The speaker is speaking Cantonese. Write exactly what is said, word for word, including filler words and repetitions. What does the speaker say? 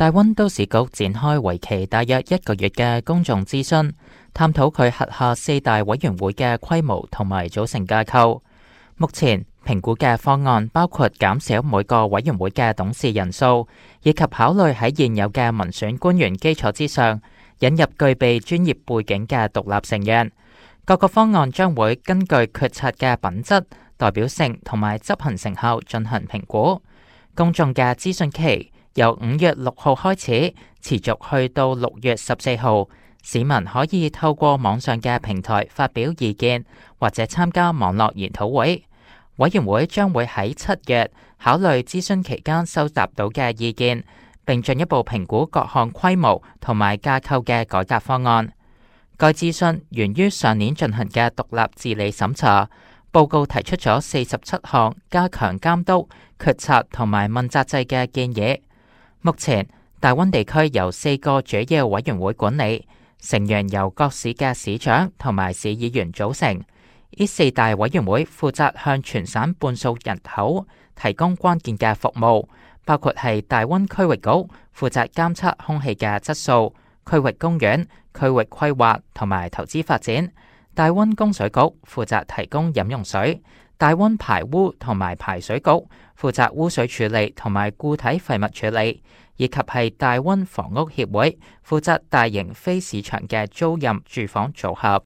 大溫都市局展開為期大約一個月嘅公眾諮詢，探討佢轄下四大委員會嘅規模同埋組成架構。目前評估嘅方案包括減少每個委員會嘅董事人數，以及考慮喺現有嘅民選官員基礎之上，引入具備專業背景嘅獨立成員。各個方案將會根據決策嘅品質、代表性同埋執行成效進行評估。公眾嘅諮詢期由五月六號開始，持續去到六月十四號。市民可以透過網上嘅平台發表意見，或者參加網絡研討會。委員會將會喺七月考慮諮詢期間收集到嘅意見，並進一步評估各項規模同埋架構嘅改革方案。該諮詢源於上年進行嘅獨立治理審查報告，提出咗四十七項加強監督、決策同埋問責制嘅建議。目前大溫地區由四個主要委員會管理，成員由各市嘅市長同埋市議員組成。呢四大委員會負責向全省半數人口提供關鍵嘅服務，包括係大溫區域局負責監測空氣嘅質素、區域公園、區域規劃同埋投資發展；大溫供水局負責提供飲用水；大溫排污同埋排水局負責污水處理同埋固體廢物處理，以及係大溫房屋協會負責大型非市場嘅租賃住房組合。